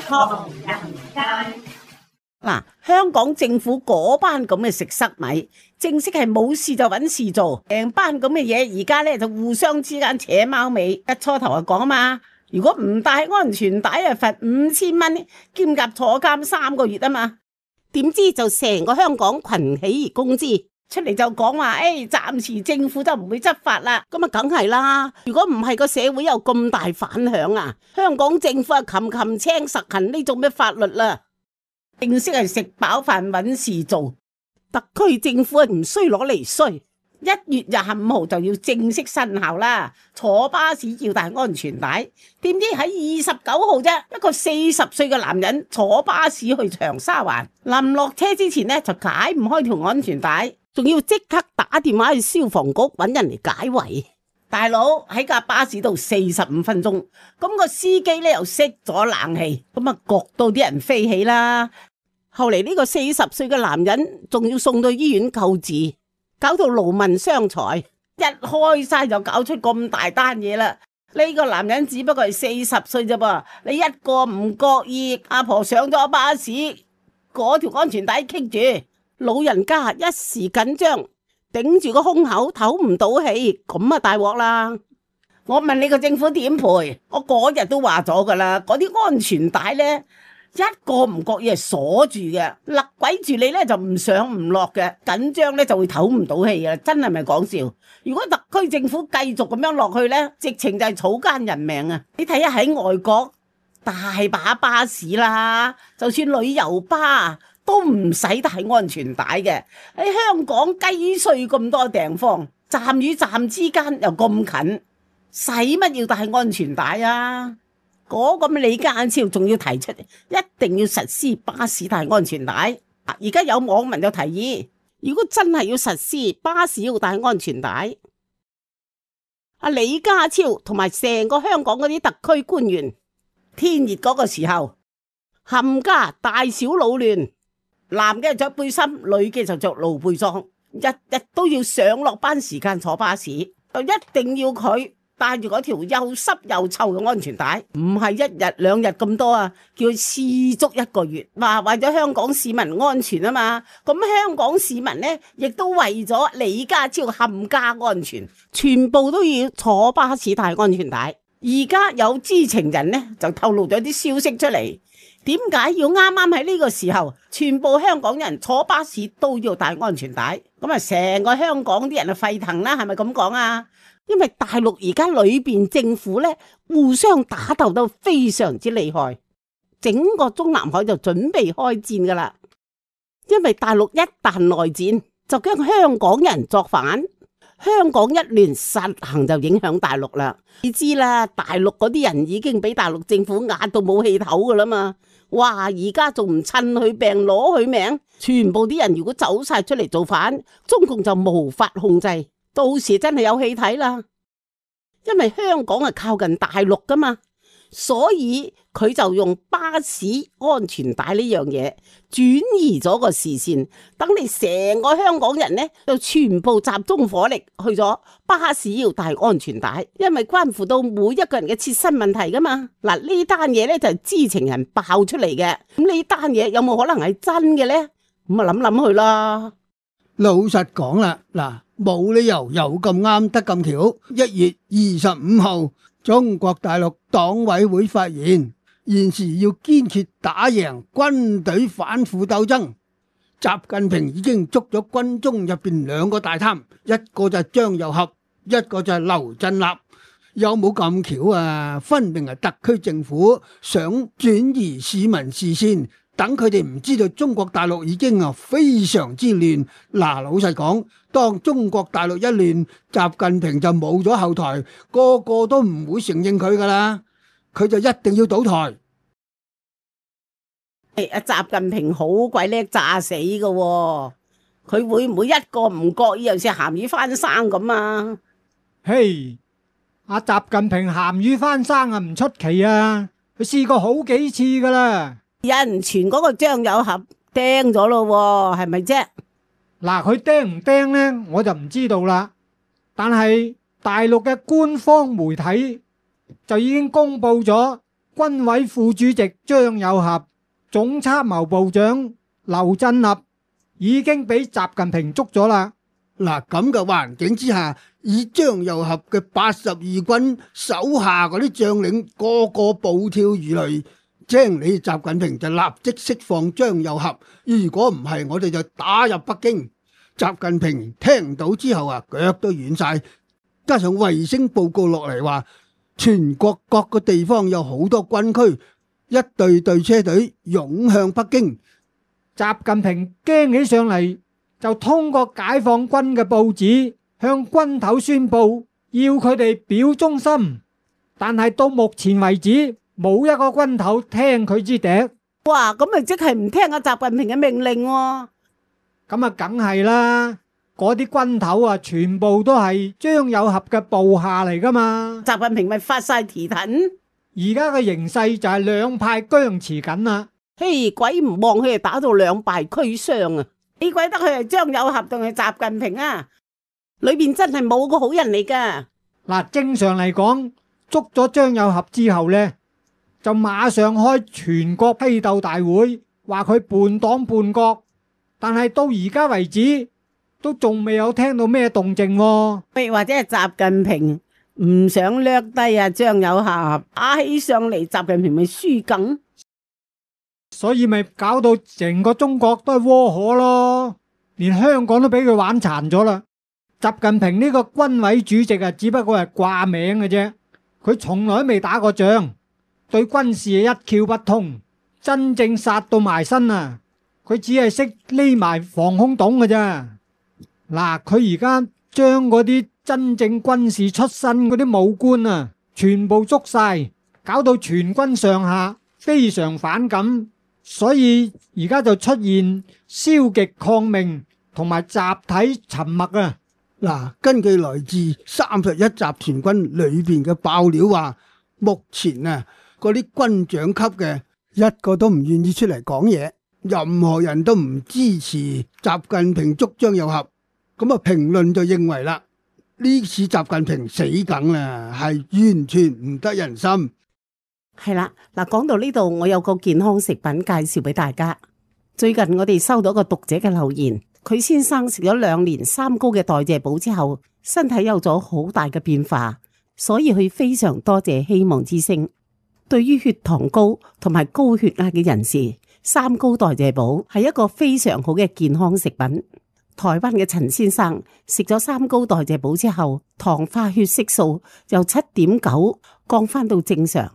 唐人街。嗱，香港政府嗰班咁嘅食塞米，正式係冇事就揾事做，成班咁嘅嘢，而家咧就互相之間扯貓尾。一初頭就講啊嘛，如果唔帶安全帶啊，罰5000蚊，兼夾坐監3個月啊嘛。點知就成個香港群起而攻之，出嚟就講話，暫時政府就唔會執法啦。咁啊，梗係啦。如果唔係個社會有咁大反響啊，香港政府啊擒青實行呢種咩法律啦？正式係食飽飯揾事做，特區政府係唔衰攞嚟衰。1月25號就要正式生效啦，坐巴士要帶安全帶。點知喺29號啫，一個40歲嘅男人坐巴士去長沙灣，臨落車之前呢，就解唔開條安全帶，仲要即刻打電話去消防局揾人嚟解圍。大佬喺架巴士度45分鐘，咁個司機呢又熄咗冷氣，咁啊焗到啲人飛起啦。後嚟呢個40歲嘅男人仲要送到醫院救治，搞到勞民傷財，一開晒就搞出咁大單嘢啦。呢個男人只不過係40歲啫噃，你一個唔覺意，阿婆上咗巴士，嗰條安全帶棘住，老人家一時緊張，頂住個胸口唞唔到氣，咁啊大鑊啦！我問你個政府點賠？我嗰日都話咗噶啦，嗰啲安全帶呢，一個唔覺意係鎖住嘅，勒鬼住你呢就唔上唔落嘅，緊張呢就會唞唔到氣嘅，真係咪講笑？如果特區政府繼續咁樣落去呢，直情就係草菅人命啊！你睇下喺外國大把巴士啦，就算旅遊巴都唔使帶安全帶嘅。喺香港雞碎咁多地方，站與站之間又咁近，使乜要帶安全帶啊？嗰個李家超仲要提出一定要實施巴士帶安全帶。而家有網民就提議，如果真係要實施巴士要帶安全帶，阿李家超同埋成個香港嗰啲特區官員，天熱嗰個時候冚家大小老亂，男嘅着背心，女嘅就着露背裝，日日都要上落班時間坐巴士，就一定要佢帶住嗰條又濕又臭嘅安全帶，唔係1日2日咁多啊，叫佢試足1個月。話為咗香港市民安全啊嘛，咁香港市民呢，亦都為咗李家超冚家安全，全部都要坐巴士帶安全帶。而家有知情人呢，就透露咗啲消息出嚟，點解要啱啱喺呢個時候，全部香港人坐巴士都要帶安全帶？咁啊，成個香港啲人啊沸騰啦，係咪咁講啊？因為大陸而家裏邊政府咧互相打鬥得非常之厲害，整個中南海就準備開戰噶啦。因為大陸一旦內戰，就驚香港人作反，香港一亂實行就影響大陸啦。你知啦，大陸嗰啲人已經俾大陸政府壓到冇氣唞噶啦嘛。哇！而家仲唔趁佢病攞佢命，全部啲人如果走晒出嚟造反，中共就無法控制。到時真係有戲睇啦，因為香港係靠近大陸噶嘛，所以佢就用巴士安全帶呢樣嘢轉移咗個視線，等你成個香港人呢就全部集中火力去咗巴士要帶安全帶，因為關乎到每一個人嘅切身問題噶嘛。嗱，呢單嘢呢就係知情人爆出嚟嘅，咁呢單嘢有冇可能係真嘅呢？咁啊諗諗去啦。老實講啦，嗱，冇理由又咁啱得咁巧。1月25號，中國大陸黨委會發言，現時要堅決打贏軍隊反腐鬥爭。習近平已經捉咗軍中入邊2個大貪，一個就係張又俠，一個就係劉振立。有冇咁巧啊？分明係特區政府想轉移市民視線，等佢哋唔知道中國大陸已經非常之亂。嗱，老實講，當中國大陸一亂，習近平就冇咗後台，個個都唔會承認佢噶啦，佢就一定要倒台。阿習近平好鬼叻詐死噶喎，佢會唔會一個唔覺意又似鹹魚翻生咁啊？嘿，阿習近平鹹魚翻生啊，唔出奇啊，佢試過好幾次噶啦。有人傳嗰個張友俠釘咗咯，係咪啫？嗱，佢釘唔釘呢，我就唔知道啦。但係大陸嘅官方媒體就已經公布咗軍委副主席張又俠、總參謀部長劉振立已經俾習近平捉咗啦。嗱，咁嘅環境之下，以張又俠嘅82軍手下嗰啲將領個個暴跳如雷，精你習近平就立即釋放張又俠，如果唔係我哋就打入北京。習近平聽到之後啊，腳都軟晒，加上衛星報告落嚟話，全國各個地方有好多軍區，一隊隊車隊湧向北京。習近平驚起上嚟，就通過解放軍嘅報紙向軍頭宣布，要佢哋表忠心。但係到目前為止，冇一個軍頭聽佢支笛。哇，咁咪即係唔聽阿習近平嘅命令喎。咁啊，梗係啦，嗰啲軍頭啊，全部都係張又俠嘅部下嚟噶嘛。習近平咪發晒蹄騰。而家嘅形勢就係兩派僵持緊啦。嘿，鬼唔望佢哋打到兩敗俱傷啊！你鬼得佢係張又俠定係習近平啊？裏邊真係冇個好人嚟噶。嗱，正常嚟講，捉咗張又俠之後呢，就馬上開全國批鬥大會，話佢叛黨叛國。但係到而家為止，都仲未有聽到咩動靜喎。譬如或者係習近平唔想掠低啊張又俠，打起上嚟，習近平咪輸梗。所以咪搞到成個中國都係窩火咯，連香港都俾佢玩殘咗啦。習近平呢個軍委主席啊，只不過係掛名嘅啫，佢從來都未打過仗，對軍事一竅不通，真正殺到埋身啊！佢只係識匿埋防空洞嘅咋。嗱，佢而家將嗰啲真正軍事出身嗰啲武官啊，全部捉晒，搞到全軍上下非常反感，所以而家就出現消極抗命同埋集體沉默啊。嗱，根據來自31集團軍裏邊嘅爆料話，目前啊嗰啲軍長級嘅一個都唔願意出嚟講嘢。任何人都唔支持習近平捉張又俠，咁啊評論就認為啦，呢次習近平死梗啦，係完全唔得人心。係啦，嗱，講到呢度，我有個健康食品介紹俾大家。最近我哋收到一個讀者嘅留言，佢先生食咗2年3高嘅代謝寶之後，身體有咗好大嘅變化，所以佢非常多謝希望之聲。對於血糖高同埋高血壓嘅人士，3高代謝寶係一個非常好嘅健康食品。台灣嘅陳先生食咗3高代謝寶之後，糖化血色素由7.9降翻到正常，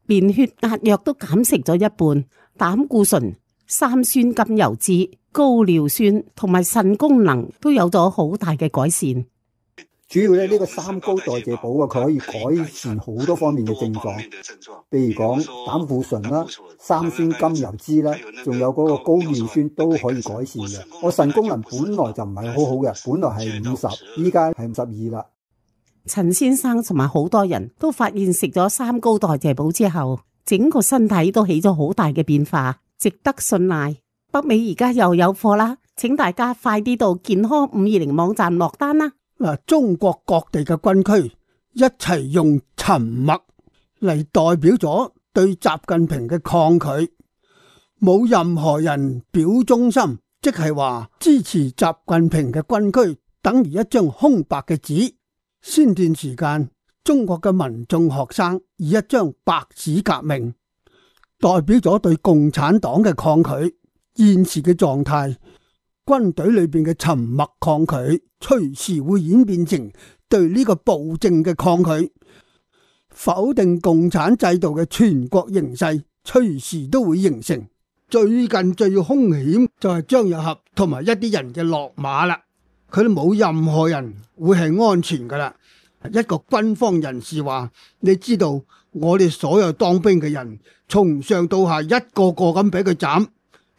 連血壓藥都減食咗一半，膽固醇、三酸甘油酯、高尿酸同埋腎功能都有咗好大嘅改善。主要咧呢個3高代謝寶啊，佢可以改善好多方面嘅症狀，譬如講膽固醇啦、三酸甘油酯啦，仲有嗰個高尿酸都可以改善嘅。我腎功能本來就唔係好好嘅，本來係50，依家係52啦。陳先生同埋好多人都發現食咗3高代謝寶之後，整個身體都起咗好大嘅變化，值得信賴。北美而家又有貨啦，請大家快啲到健康520網站落單啦。嗱，中國各地嘅軍區一齊用沉默嚟代表咗對習近平嘅抗拒，冇任何人表忠心，即係話支持習近平嘅軍區等於一張空白嘅紙。先段時間，中國嘅民眾學生以一張白紙革命，代表咗對共產黨嘅抗拒。現時嘅狀態，軍隊裏邊嘅沉默抗拒，隨時會演變成對呢個暴政嘅抗拒，否定共產制度嘅全國形勢，隨時都會形成。最近最兇險就係張又俠同埋一啲人嘅落馬啦，佢哋冇任何人會係安全噶啦。一個軍方人士話：你知道我哋所有當兵嘅人，從上到下一個個咁俾佢斬。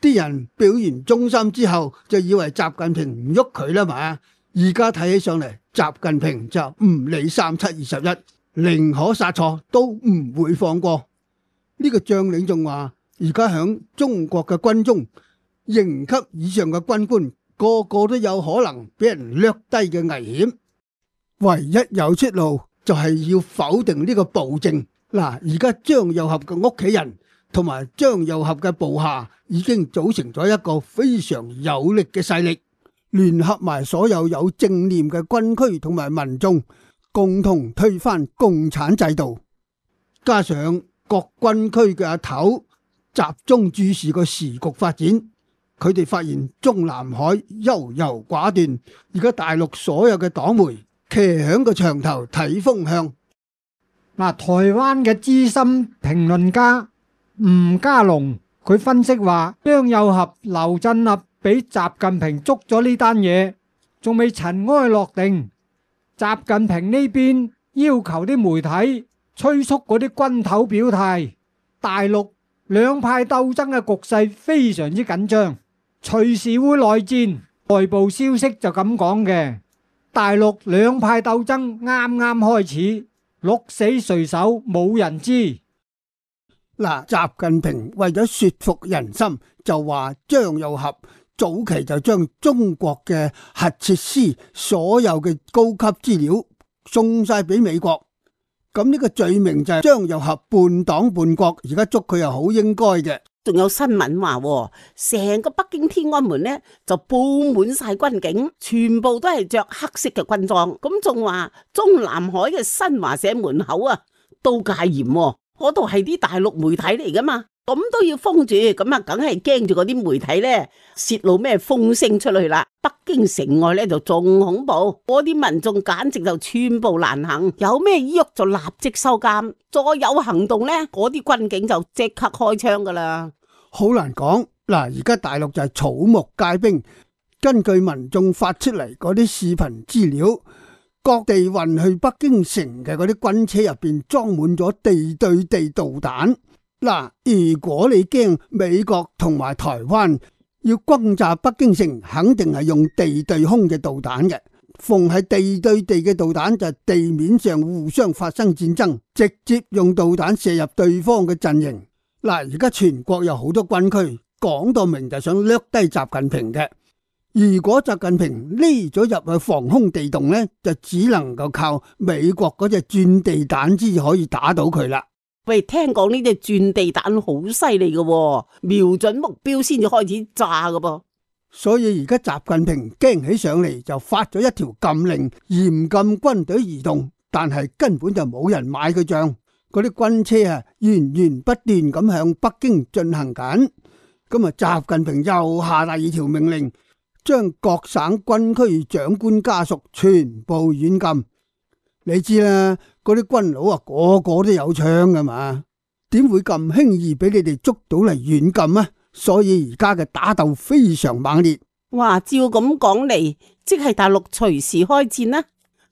啲人表完忠心之後，就以為習近平唔喐佢啦嘛。而家睇起上嚟，習近平就唔理3721，寧可殺錯都唔會放過。呢個將領仲話：而家響中國嘅軍中，營級以上嘅軍官個個都有可能俾人掠低嘅危險，唯一有出路就係要否定呢個暴政。嗱，而家張又俠嘅屋企人同埋張又俠嘅部下已經組成咗一個非常有力嘅勢力，聯合埋所有有正念嘅軍區同埋民眾，共同推翻共產制度。加上各軍區嘅阿頭集中注視個時局發展，佢哋發現中南海優柔寡斷，而家大陸所有嘅黨媒騎響個牆頭睇風向。嗱，台灣嘅資深評論家吳家龍佢分析話，張又俠、劉振立俾習近平捉咗呢單嘢，仲未塵埃落定。習近平呢邊要求啲媒體催促嗰啲軍頭表態，大陸兩派鬥爭嘅局勢非常之緊張，隨時會內戰。外部消息就咁講嘅，大陸兩派鬥爭啱啱開始，鹿死誰手冇人知。嗱，習近平為咗說服人心，就話張又俠早期就將中國嘅核設施所有嘅高級資料送晒俾美國，咁呢個罪名就係張又俠叛黨叛國，而家捉佢又好應該嘅。仲有新聞話，成個北京天安門呢就布滿晒軍警，全部都係着黑色嘅軍裝。咁仲話中南海嘅新華社門口啊都戒嚴，嗰度係啲大陸媒體嚟噶嘛，咁都要封住，咁啊梗係驚住嗰啲媒體呢泄露咩風聲出去啦。北京城外呢就仲恐怖，嗰啲民眾簡直就寸步難行，有咩喐就立即收監，再有行動呢，嗰啲軍警就即刻開槍噶啦。好難講，嗱，而家大陸就係草木皆兵，根據民眾發出嚟嗰啲視頻資料，各地運去北京城嘅嗰啲軍車入邊裝滿咗地對地導彈。嗱，如果你驚美國同埋台灣要轟炸北京城，肯定係用地對空嘅導彈嘅。逢係地對地嘅導彈就係地面上互相發生戰爭，直接用導彈射入對方嘅陣營。嗱，而家全國有好多軍區，講到明就想掠低習近平嘅。如果習近平匿咗入去防空地洞呢，就只能夠靠美國嗰隻鑽地彈先可以打到佢啦。喂，聽講呢隻鑽地彈好犀利嘅，瞄準目標先至開始炸嘅噃。所以而家習近平驚起上嚟，就發咗一條禁令，嚴禁軍隊移動，但係根本就冇人買佢賬。嗰啲軍車啊，源源不斷咁向北京進行緊。咁啊，習近平又下第二條命令，將各省軍區長官家屬全部軟禁。你知啦，嗰啲軍佬啊，個個都有槍噶嘛，點會咁輕易俾你哋捉到嚟軟禁啊？所以而家嘅打鬥非常猛烈。哇，照咁講嚟，即係大陸隨時開戰啦。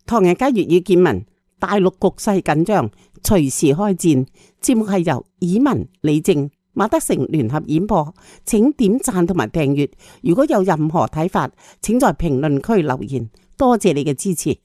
唐人街粵語見聞，大陸局勢緊張，隨時開戰。節目係由以文、李正、馬德成聯合演播，請點讚同埋訂閱。如果有任何睇法，請在評論區留言。多謝你嘅支持。